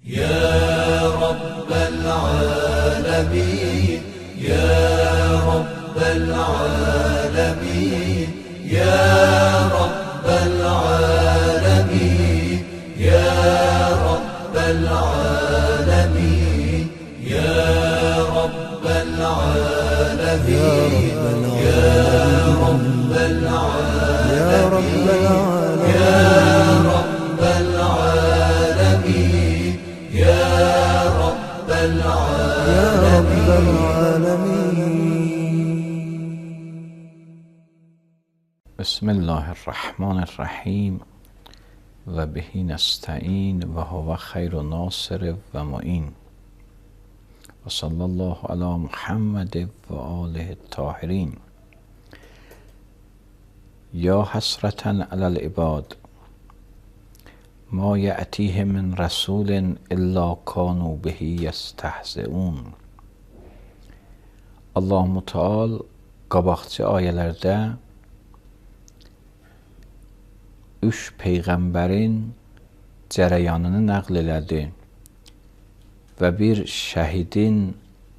يا رب العالمين يا رب العالمين يا رب العالمين يا رب العالمين يا رب العالمين يا رب العالمين يا رب العالمين يا رب العالمين. بسم الله الرحمن الرحیم و بهی نستعین و هو خیر ناصر و معین و صلی الله علی محمد و آله الطاهرین. یا حسرة علی العباد ما یأتیه من رسول الا کانوا به یستهزئون. Allah Müteal qabaqçı ayələrdə üç peyğəmbərin cərəyanını nəql elədi və bir şəhidin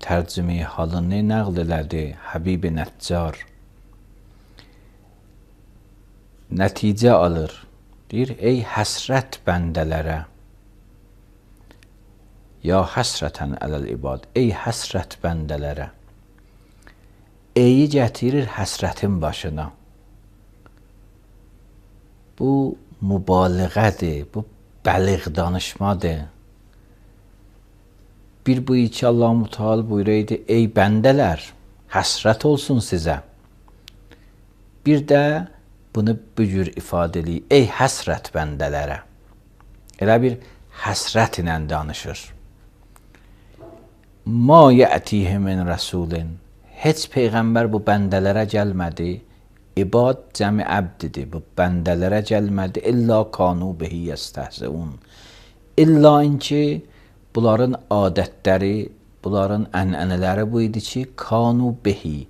tərcümeyi halını nəql elədi, Həbib-i Nəccar. Nəticə alır. Deyir, ey həsrət bəndələrə, ya həsrətən ələl ibad, ey həsrət bəndələrə. Eyi gətirir həsrətin başına. Bu mübaliğədir, bu bəliğ danışmadır. Bir bu iki Allah-u Müteal buyuraydı, ey bəndələr, həsrət olsun sizə. Bir də bunu bu cür ifadə eləyir, ey həsrət bəndələrə. Elə bir həsrət ilə danışır. Ma yətihə min rəsulin. Heç peyğəmbər bu bəndələrə gəlmədi. İbad cəmi əbdidir. Bu bəndələrə gəlmədi. İlla kanu bihi yestəhzəun. İlla ki, bunların adətləri, bunların ənənələri bu idi ki, kanu bihi.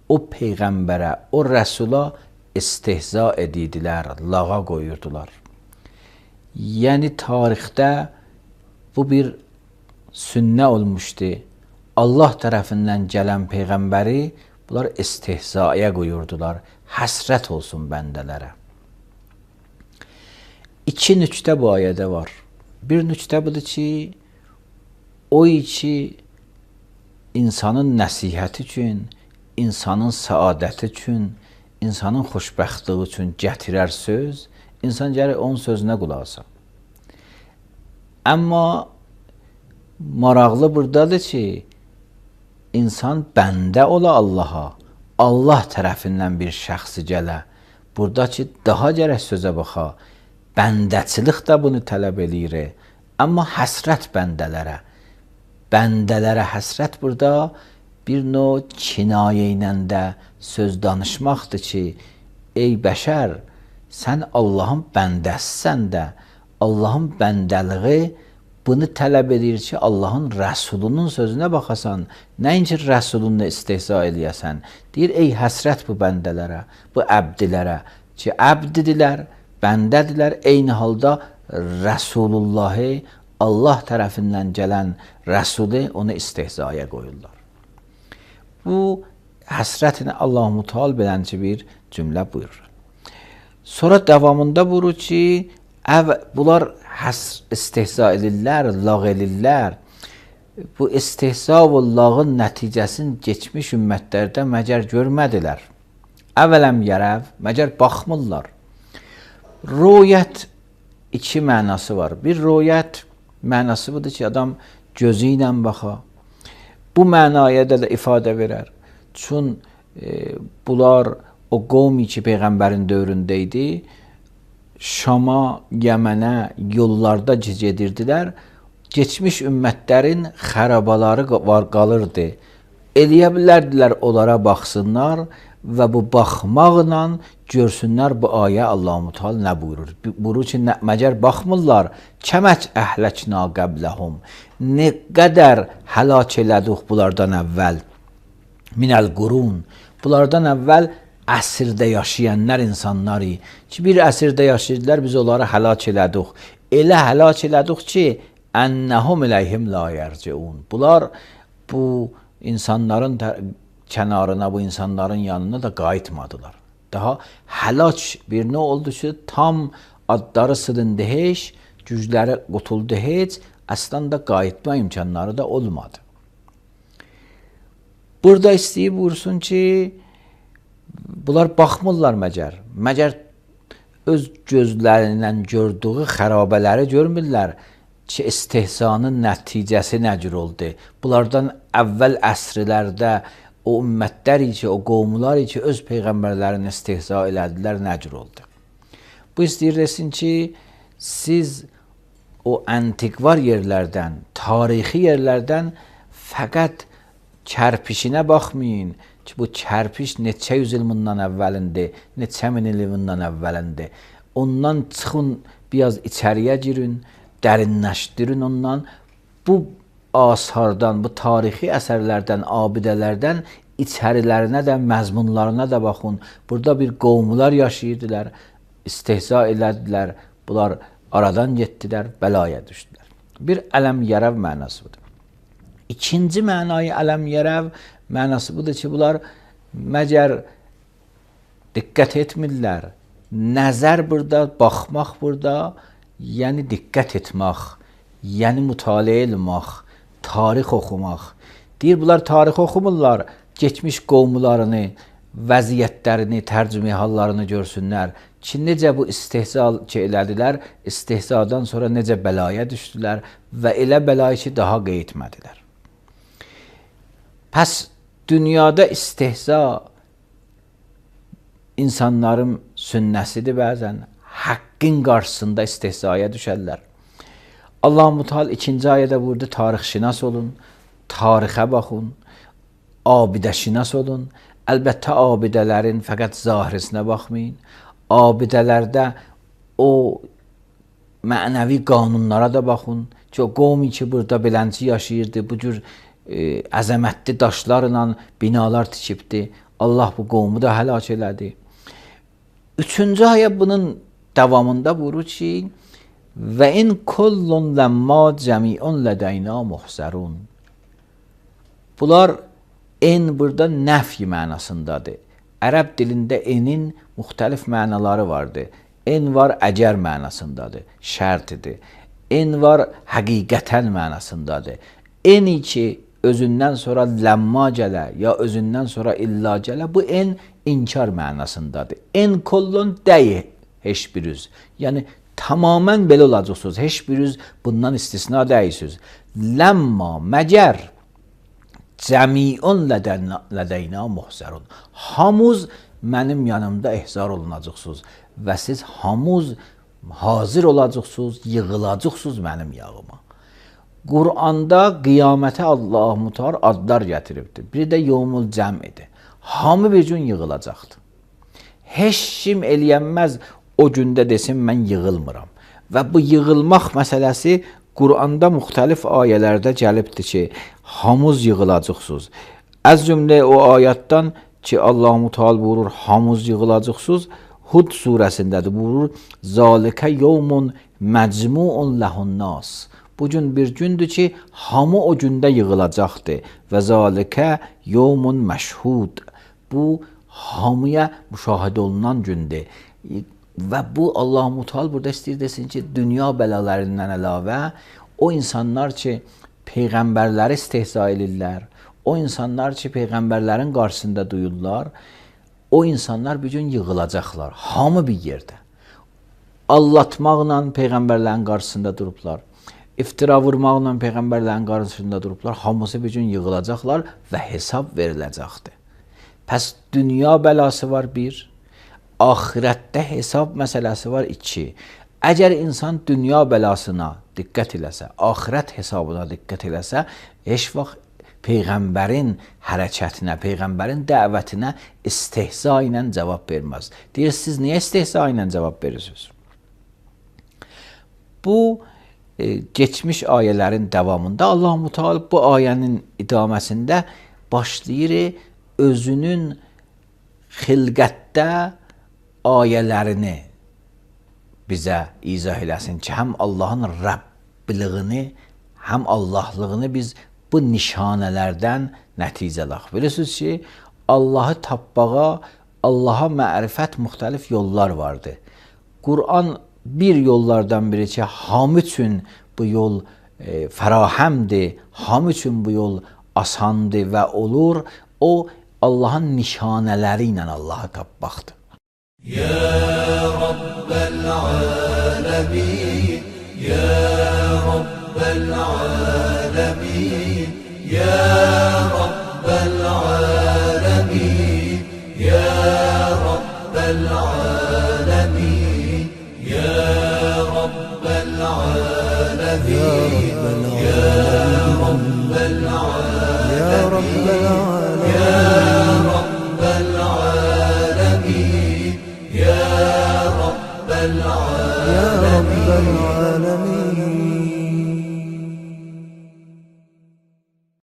O peyğəmbərə, o rəsula istehza edirdilər, lağa qoyurdular. Yəni tarixdə bu bir sünnə olmuşdu. Allah tərəfindən gələn peyğəmbəri bunlar istehzaya qoyurdular. Həsrət olsun bəndələrə. İki nüktə bu ayədə var. Bir nüktə budur ki, o ki insanın nəsihəti üçün, insanın səadəti üçün, insanın xoşbəxtliyi üçün gətirər söz, insan gəlir onun sözünə qulaq asar. Amma maraqlı buradadır ki, insan bəndə ola Allaha, Allah tərəfindən bir şəxsi gələ. Burada ki, daha gərək sözə baxa. Bəndəçilik də bunu tələb eləyir. Amma həsrət bəndələrə. Bəndələrə həsrət burada bir növ kinayə ilə də söz danışmaqdır ki, ey bəşər, sən Allahın bəndəsisən də, Allahın bəndəliği bunu tələb edir ki, Allahın rəsulunun sözünə baxasan, nəinki rəsulunla istehza eləyəsən. Deyir, ey həsrət bu bəndələrə, bu əbdilərə ki, əbdidirlər, bəndədirlər, eyni halda Rəsulullahı, Allah tərəfindən gələn rəsulu onu istehzaya qoyurlar. Bu həsrətini Allah-u Müteal belənci bir cümlə buyurur. Sonra davamında buyurur ki, bunlar istehza edirlər, lağ edirlər. Bu istehza və lağın nəticəsini keçmiş ümmətlərdə məgər görmədilər. Əvvələm yərəv, məgər baxmırlar. Ruyət iki mənası var. Bir ruyət mənası budur ki, adam gözü ilə baxa. Bu mənaya da ifadə verər. Çün bunlar o qovmi ki, Peyğəmbərin dövründə idi, Şama, Yəmənə yollarda gedirdilər. Geçmiş ümmətlərin xərabaları qalırdı. Eləyə bilərdilər, onlara baxsınlar və bu baxmaqla görsünlər bu ayə Allah-u Müteal nə buyurur. Buyurur ki, məgər baxmırlar, kəməc əhləkna qəbləhum. Nə qədər həlak elədik bunlardan əvvəl. Minəl qurun. Bunlardan əvvəl əsrdə yaşayanlar insanlar ki, bir əsrdə yaşayırdılar, biz onları həlak elədik. Elə həlak elədik ki, ennehum ileyhim la yerciun. Bunlar bu insanların kənarına, bu insanların yanına da qayıtmadılar. Daha həlak bir nə oldu ki, tam adları sındı heç, gücləri qutuldu heç, əslən də qayıtma imkanları da olmadı. Burada istəyib vursun ki, bunlar baxmırlar məgər öz gözlərindən gördüyü xərabələri görmürlər ki, istehzanın nəticəsi nə cür oldu. Bunlardan əvvəl əsrlərdə o ümmətlər ki, o qovmlar ki, öz peyğəmbərlərini istehza elədilər, nə cür oldu. Bu istəyir desin ki, siz o antikvar yerlərdən, tarixi yerlərdən fəqət kərpişinə baxmayın ki, bu kərpiş neçə yüz il bundan əvvəlindi, neçə min il bundan əvvəlindi. Ondan çıxın, biraz içəriyə girin, dərinləşdirin ondan. Bu asardan, bu tarixi əsərlərdən, abidələrdən içərilərinə də, məzmunlarına da baxın. Burada bir qovmular yaşayırdılar, istehza elədilər, bunlar aradan getdilər, bəlaya düşdülər. Bir ələm yərəv mənası budur. İkinci mənayı ələm yərəv mənası budur ki, bunlar məgər diqqət etmirlər. Nəzər burada, baxmaq burada, yəni diqqət etmək, yəni mütaliə etmək, tarix oxumaq. Deyir, bunlar tarix oxumurlar, geçmiş qovmularını, vəziyyətlərini, tərcümə hallarını görsünlər ki, necə bu istehza elədilər, istehzadan sonra necə bəlaya düşdülər və elə bəlayı ki, daha qeytmədilər. Pəs dünyada istehza insanların sünnəsidir bəzən, haqqın qarşısında istehzaya düşərlər. Allah-u Teala ikinci ayədə burada tarixşinas olun, tarixə baxın, abidəşinas olun. Əlbəttə abidələrin fəqət zahirisinə baxmayın. Abidələrdə o mənəvi qanunlara da baxın ki, o qovmi ki, burada belənci yaşayırdı, bu cür əzəmətli daşlarla binalar tikibdi. Allah bu qovmu da həlak elədi. Üçüncü ayə bunun davamında buyurur ki, və in kullun ləmma cəmiun lədəyna muhsərun. Bunlar en burada nəfy mənasındadır. Ərəb dilində enin müxtəlif mənaları vardır. En var əcər mənasındadır, şərtidir. En var həqiqətən mənasındadır. Eni ki, özündən sonra ləmma gələ, ya özündən sonra illa gələ, bu en inkar mənasındadır. En kullun dəyi heç bir üz. Yəni, tamamən belə olacaqsınız. Heç bir üz bundan istisna dəyirsiniz. Ləmma, məgər, cəmiun lədəyna muhsərun. Hamuz mənim yanımda ehzar olunacaqsınız və siz hamuz hazır olacaqsınız, yığılacaqsınız mənim yağıma. Qur'anda qiyamətə Allah-u Teala adlar gətiribdir. Biri də yevmul cəm'idir. Hamı bir gün yığılacaqdır. Heç kim eləyənməz o gündə desin, mən yığılmıram. Və bu yığılmaq məsələsi Qur'anda müxtəlif ayələrdə gəlibdir ki, hamuz yığılacaqsınız. Az cümlə o ayətdən ki, Allah-u Teala buyurur, hamuz yığılacaqsınız, Hud surəsindədir, buyurur, zalikə yevmun məcmuun ləhun nas. Bu gün bir gündür ki, hamı o gündə yığılacaqdır. Və zalikə yevmun məşhud. Bu, hamıya müşahidə olunan gündür. Və bu, Allah-u Teala burada istəyir desin ki, dünya bəlalarından əlavə, o insanlar ki, peyğəmbərləri istehza edirlər, o insanlar ki, peyğəmbərlərin qarşısında duyurlar, o insanlar bir gün yığılacaqlar, hamı bir yerdə. Allatmaqla peyğəmbərlərin qarşısında durublar, iftira vurmaqla peyğəmbərlərin qarşısında durublar, hamısı bir gün yığılacaqlar və hesab veriləcəkdir. Pəs dünya bəlası var bir, ahirətdə hesab məsələsi var iki. Əgər insan dünya bəlasına diqqət eləsə, ahirət hesabına diqqət eləsə, heç vaxt peyğəmbərin hərəkətinə, peyğəmbərin dəvətinə istehza ilə cavab verməz. Deyir, siz niyə istehza ilə cavab verirsiniz? Bu, geçmiş ayələrin davamında Allah-u Teala bu ayənin idaməsində başlayır özünün xilqətdə ayələrini bizə izah eləsin ki, həm Allahın Rəbb Rəbbiliyini, həm Allahlığını biz bu nişanələrdən nəticə alaq. Bilirsiniz ki, Allahı tapmağa, Allaha mərifət müxtəlif yollar vardır. Quran bir yollardan biri ki, hamı üçün bu yol fərahəmdir, hamı üçün bu yol asandır və olur. O, Allahın nişanələri ilə Allahı tapmaqdır. Ya Rabbel alemin, Ya Rabbel alemin, Ya Rabbel alemin, Ya Rabbel alemin, Ya Rabbel alemin, Ya Rabbel alemin, Ya Rabbel alemin, Ya Rabbel alemin.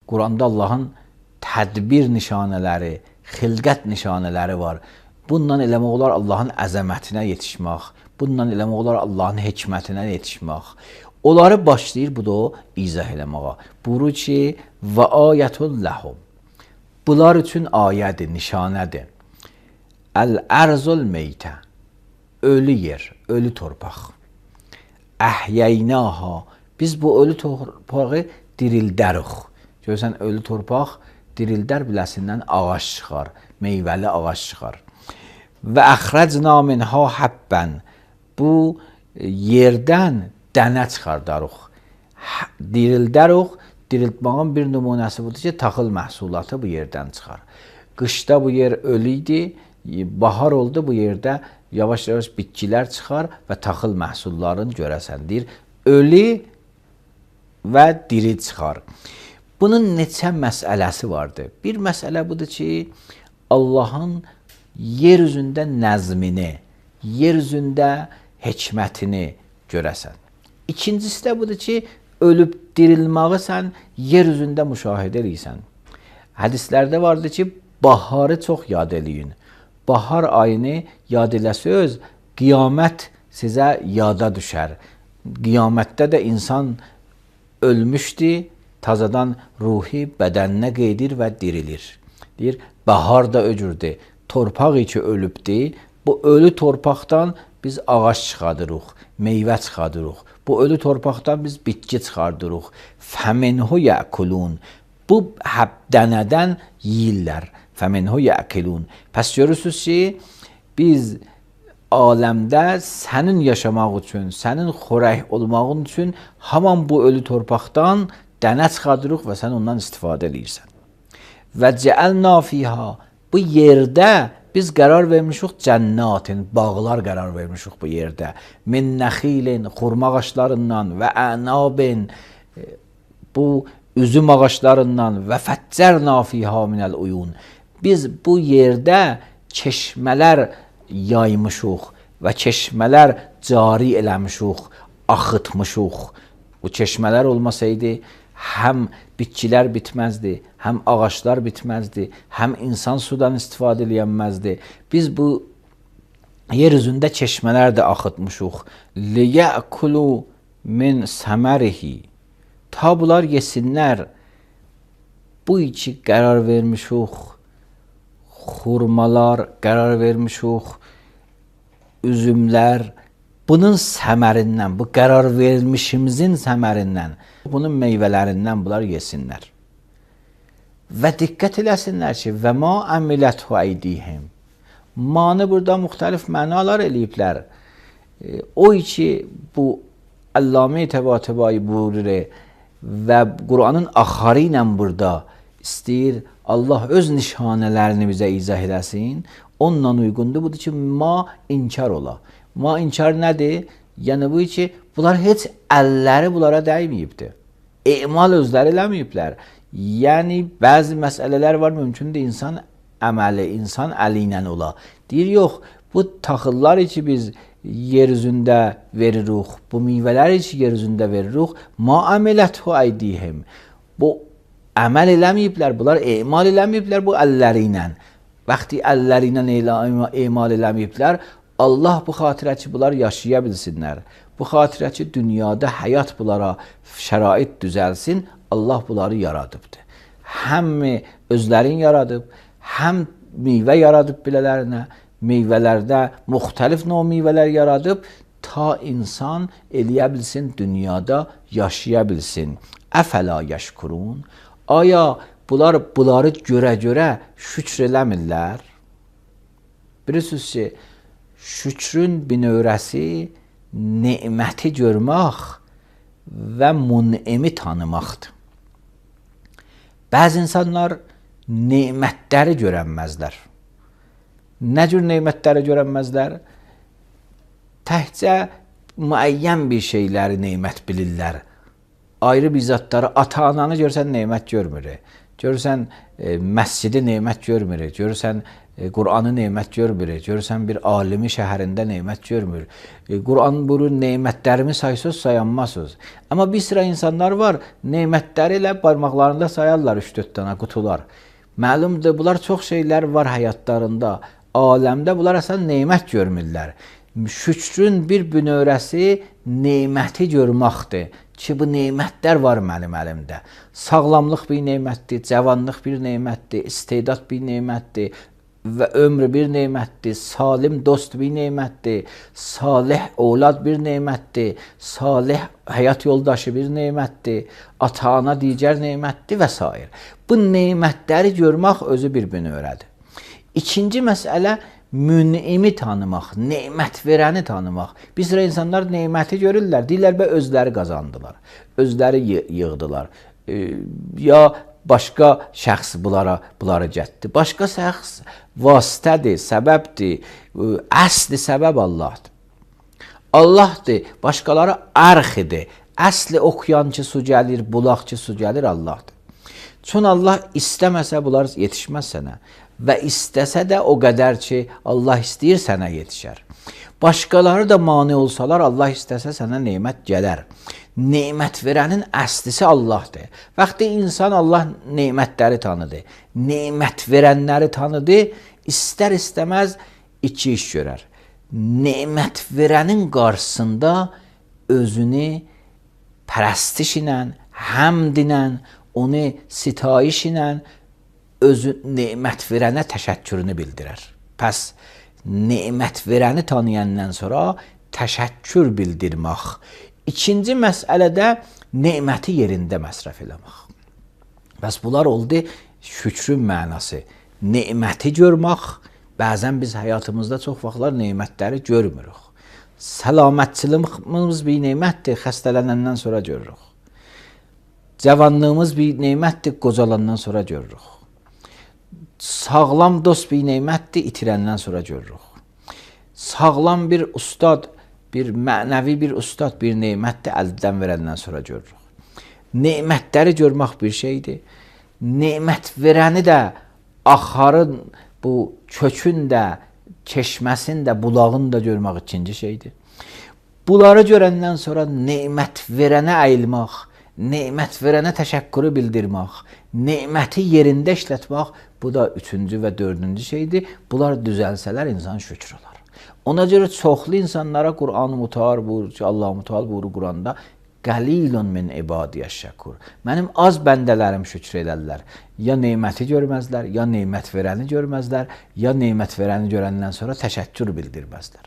Quranda Allahın tədbir nişanələri, xilqət nişanələri var. Bununla eləmək olar Allahın əzəmətinə yetişmək, bununla eləmək olar Allahın hikmətinə yetişmək. Onları başlayır bu da o izah eləməyə. Buyurur ki, və ayətul ləhum. Bunlar üçün ayədir, nişanədir. Əl-ərzul meytə. Ölü yer, ölü torpaq. Əhyəynaha. Biz bu ölü torpağı dirildərik. Görürsən, ölü torpaq dirildər biləsindən ağac çıxar, meyvəli ağac çıxar. Və əxrəcna minha həbbən. Bu yerdən dənə çıxardarıq. Dirildərik. Diriltmağın bir nümunəsi budur ki, taxıl məhsulatı bu yerdən çıxar. Qışda bu yer ölü idi, bahar oldu, bu yerdə yavaş-yavaş bitkilər çıxar və taxıl məhsullarını görəsəndir. Ölü və diri çıxar. Bunun neçə məsələsi vardır. Bir məsələ budur ki, Allahın yer üzündə nəzmini, yer üzündə hikmətini görəsən. İkincisi də budur ki, ölüb dirilməyi sən yer üzündə müşahidə edirsən. Hədislərdə vardır ki, baharı çox yad eləyin. Bahar ayını yad eləsəz, qiyamət sizə yada düşər. Qiyamətdə də insan ölmüşdür, tazadan ruhi bədəninə qeydir və dirilir. Deyir, bahar da öcürdür. Torpaq içi ölübdür. Bu ölü torpaqdan biz ağac çıxardırıq, meyvə çıxardırıq. Bu ölü torpaqdan biz bitki çıxardırıq. Fəminhu yəkulun. Bu dənədən yeyirlər. Fəminhu yəkulun. Pəs görürsünüz ki, biz aləmdə sənin yaşamaq üçün, sənin xörək olmağın üçün haman bu ölü torpaqdan dənə çıxardırıq və sən ondan istifadə edirsən. Və cəəlna fiha. Bu yerdə biz qərar vermişik cənnətin, bağlar qərar vermişik bu yerdə. Min nəxilin, xurma ağaçlarından və ənabin, bu üzüm ağaçlarından və fəccərna fiha minəl uyun. Biz bu yerdə çeşmələr yaymışıq və çeşmələr cari eləmişik, axıtmışıq. Bu çeşmələr olmasaydı, həm bitkilər bitməzdi, həm ağaçlar bitməzdi, həm insan sudan istifadə edilməzdi. Biz bu yer üzündə çeşmələr də axıtmışıq. Liyəkulu min səmərihi. Ta bunlar yesinlər. Bu içi qərar vermişik. Xurmalar qərar vermişik. Üzümlər. Bunun səmərindən, bu qərar vermişimizin səmərindən, bunun meyvələrindən bunlar yesinlər. Və diqqət eləsinlər ki, və ma əmiləthu əydihim. Manı burada müxtəlif mənalar eləyiblər. O ki, bu Allamə Təbatəbai buyurur və Quranın axarı ilə burada istəyir, Allah öz nişanələrini bizə izah eləsin. Onunla uyğundur, budur ki, ma inkar ola. Ma inkar nədir? Yəni bu ki, bunlar heç əlləri bunlara dəyməyibdir. Emal özləri eləməyiblər. Yəni bəzi məsələlər var, mümkündür insan əməli, insan əli ilə ola. Deyir, yox, bu taxıllar ki biz yer üzündə veririk, bu meyvələr ki yer üzündə veririk, ma əmələthu əydihim. Bu əməl eləməyiblər, bunlar emal eləməyiblər bu əlləri ilə. Vaxtı əlləri ilə emal eləməyiblər, Allah bu xatirə ki, bunlar yaşaya bilsinlər. Bu xatirə ki, dünyada həyat bunlara şərait düzəlsin, Allah bunları yaradıbdır. Həm özlərini yaradıb, həm meyvə yaradıb bilələrinə, meyvələrdə müxtəlif növ meyvələr yaradıb, ta insan eləyə bilsin, dünyada yaşaya bilsin. Əfəla yəşkurun. Aya bunları görə şükr eləmirlər? Bilirsiniz ki, şükrün binövrəsi neməti görmək və mun'imi tanımaqdır. Bəzi insanlar nemətləri görənməzlər. Nə cür nemətləri görənməzlər? Təhcə müəyyən bir şeyləri nemət bilirlər. Ayrı bir zatları, ata-ananı görsən nemət görmür. Görürsən məscidi nemət görmür. Görürsən Qur'anı nemət görmür. Görürsən bir alimi şəhərində nemət görmür. Qur'an buyurur, nemətlərimi saysız sayanmazsınız. Amma bir sıra insanlar var, nemətləri ilə barmaqlarında sayarlar 3-4 dənə qutular. Məlumdur, bunlar çox şeylər var həyatlarında. Aləmdə bunlar əslən nemət görmürlər. Şükrün bir bünövrəsi neməti görməkdir. Ki, bu nemətlər var mənim əlimdə. Sağlamlıq bir nemətdir, cavanlıq bir nemətdir, istedad bir nemətdir və ömrü bir nemətdir, salim dost bir nemətdir, salih evlad bir nemətdir, salih həyat yoldaşı bir nemətdir, ata-ana digər nemətdir və s. Bu nemətləri görmək özü bir bünövrədir. İkinci məsələ, mün'imi tanımaq, nemət verəni tanımaq. Bir sıra insanlar neməti görürlər, deyirlər və özləri qazandılar, özləri yığdılar. Ya başqa şəxs bunları gətdi. Başqa şəxs vasitədir, səbəbdir, əsli səbəb Allahdır. Allahdır, başqaları ərxidir. Əsli oxuyan ki su gəlir, bulaq ki su gəlir Allahdır. Çün Allah istəməsə bunlar yetişməz sənə. Və istəsə də o qədər ki, Allah istəyir sənə yetişər. Başqaları da mane olsalar, Allah istəsə sənə nemət gələr. Nemət verənin əslisi Allahdır. Vaxtı insan Allah nemətləri tanıdı, nemət verənləri tanıdı, istər-istəməz iki iş görər. Nemət verənin qarşısında özünü pərəstiş ilə, həmd ilə, onu sitayiş ilə, özü nemət verənə təşəkkürünü bildirər. Pəs, nemət verəni tanıyandan sonra təşəkkür bildirmək. İkinci məsələdə neməti yerində məsrəf eləmək. Bəs bunlar oldu şükrün mənası. Neməti görmək, bəzən biz həyatımızda çox vaxtlar nemətləri görmürük. Səlamətçiliyimiz bir nemətdir, xəstələnəndən sonra görürük. Cavanlığımız bir nemətdir, qocalandan sonra görürük. Sağlam dost bir nemətdir, itirəndən sonra görürük. Sağlam bir ustad, bir mənəvi bir ustad, bir nemətdir, əldən verəndən sonra görürük. Nemətləri görmək bir şeydir. Nemət verəni də, axarın, bu kökün də, çeşməsin də, bulağını da görmək ikinci şeydir. Bunları görəndən sonra nemət verənə əyilmək, nemət verənə təşəkkürü bildirmək, neməti yerində işlətmək, bu da üçüncü və dördüncü şeydir. Bunlar düzəlsələr insan şükür olar. Ona görə çoxlu insanlara Qur'an-ı Muteal buyurur ki, Allah-u Muteal buyurur Qur'anda, Qalilun min ibadiyyəş şəkur. Mənim az bəndələrim şükür edərlər. Ya neməti görməzlər, ya nemət verəni görməzlər, ya nemət verəni görəndən sonra təşəkkür bildirməzlər.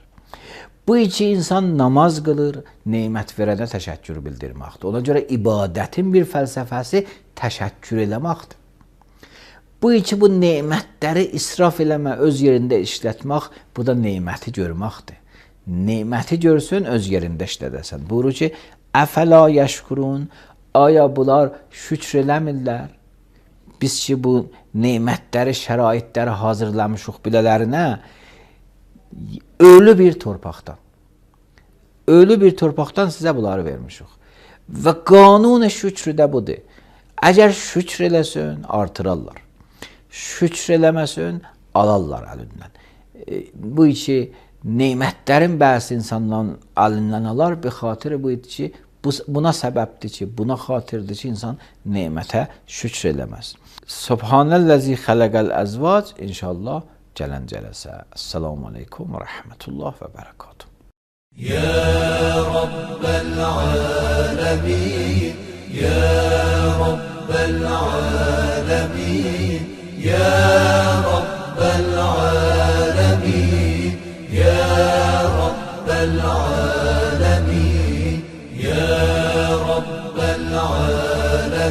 Bu iki insan namaz qılır, nemət verənə təşəkkür bildirməkdir. Ona görə ibadətin bir fəlsəfəsi təşəkkür eləməkdir. Bu iki bu nemətləri israf eləmə, öz yerində işlətmək, bu da neməti görməkdir. Neməti görsün, öz yerində işlədəsən. Buyurur ki, əfəla yəşkurun, aya bunlar şükr eləmirlər. Biz ki bu nemətləri, şəraitləri hazırlamışıq bilələrinə, ölü bir torpaqdan sizə bunları vermişik. Və qanun şükrü də budur. Əgər şükr eləsin, artırarlar. Şükr eləməsin, alarlar əlindən. Bu iki nemətlərin bəzi insanların əlindən alar, bir xatir bu idi ki, buna səbəbdir ki, buna xatirdir ki, insan nemətə şükr eləməz. Subhanəl-ləzi xələqəl əzvac, inşallah gələn cələsə. Esselamu aleykum və rəhmətullah və bərəkatuhu. يا رب العالمين يا رب العالمين يا رب العالمين يا رب العالمين يا رب العالمين